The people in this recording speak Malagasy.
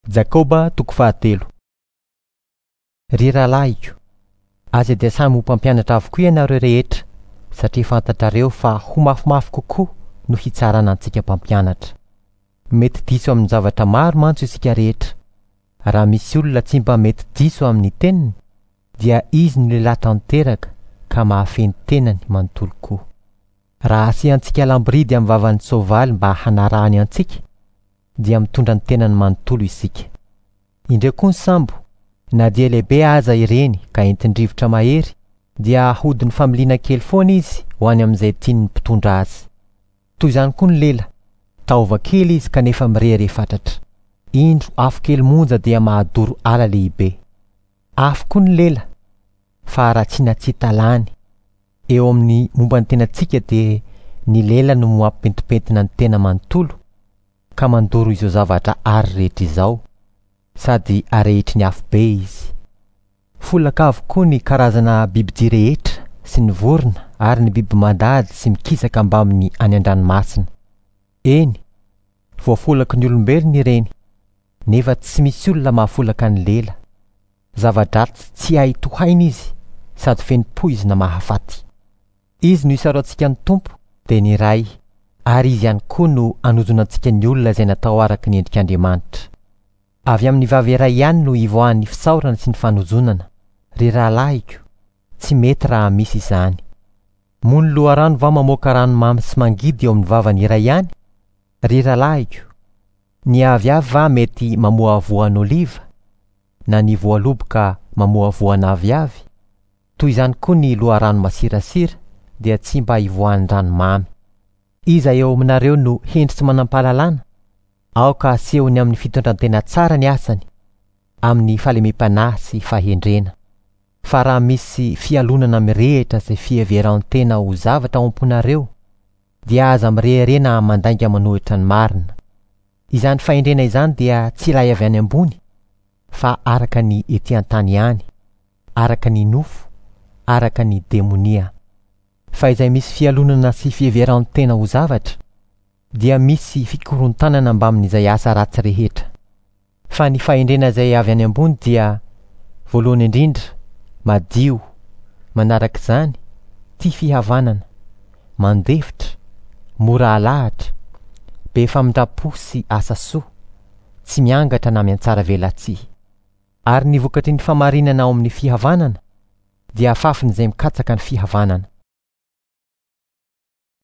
Jakoba toko fahatelo. Ry rahalahiko, aza dia samy ho mpampianatra avokoa ianareo rehetra, satria fantatrareo fa ho mafimafy kokoa no hitsarana antsika mpampianatra. Mety diso amin'ny zavatra maro mantsy isika rehetra. Raha misy olona tsy mba mety diso amin'ny teniny, dia izy no lehilahy tanteraka ka mahafehy ny tenany manontolo koa. Raha asiantsika lamboridy amin'ny vavan'ny soavaly mba hanarahany antsika, dia mitondra ny tenany manontolo isika. Indreo koa ny sambo, na dia lehibe aza ireny ka entin-drivotra mahery, dia ahodin'ny familiana kely foana izy ho any amin'izay tian'ny mpitondra azy. Toy izany koa ny lela, taova kely izy kanefa mirehareha fatratra. Indro afo kely monja dia mahadoro ala lehibe. Afo koa ny lela, fa haratsiana tsy hita lany. Eo amin'ny momba ny tenantsika dia ny lela no mampipentimpentina ny tena manontolo ka mandoro izao zavatra àry rehetra izao, sady arehitry ny afobe izy. Folaka avokoa ny karazana bibidia rehetra sy ny vorona ary ny biby mandady sy mikisaka mbamin'ny any an-dranomasina. Eny, voafolaky ny olombelona ireny, nefa tsy misy olona mahafolaka ny lela. Zava-dratsy tsy hay tohaina izy sady feno poizina mahafaty. Izy no isaorantsika ny Tompo, dia ny Ray, ary Izy ihany koa no anozonantsika ny olona izay natao araka ny endrik'Andriamanitra. Avy amin'ny vava iray ihany no ivoahan'ny fisaorana sy ny fanozonana. Ry rahalahiko, tsy mety raha misy izany. Moa ny loharano va mamoaka rano mamy sy mangidy eo amin'ny vavany iray ihany? Ry rahalahiko, ny aviavy va mety mamoa voan'oliva, na ny voaloboka mamoa voan'aviavy? Toy izany koa ny loharano masirasira dia tsy mba ivoahan'ny rano mamy. Iza eo aminareo no hendry sy manam-pahalalana? Aoka asehony amin'ny fitondran-tena tsara ny asany, amin'ny fahalemem-panahy sy fahendrena. Fa raha misy fialonana mirehitra sy fiheveran-tena ho zavatra ao am-ponareo, dia aza mirehareha na mandainga manohitra ny marina. Izany fahendrena izany dia tsy ilay avy any ambony, fa araka ny ety an-tany ihany, araka ny nofo, araka ny demonia. Fa izay misy fialonana sy fiheveran-tena ho zavatra, dia misy fikorontanana mbamin'izay asa ratsy rehetra. Fa ny fahendrena izay avy any ambony dia, voalohany indrindra, madio, manaraka izany, tia fihavanana, mandefitra, mora alahatra, be famindram-po sy asa soa, tsy miangatra na miantsara velatsihy. Ary ny vokatry ny famarinana ao amin'ny fihavanana dia afafin'izay mikatsaka ny fihavanana.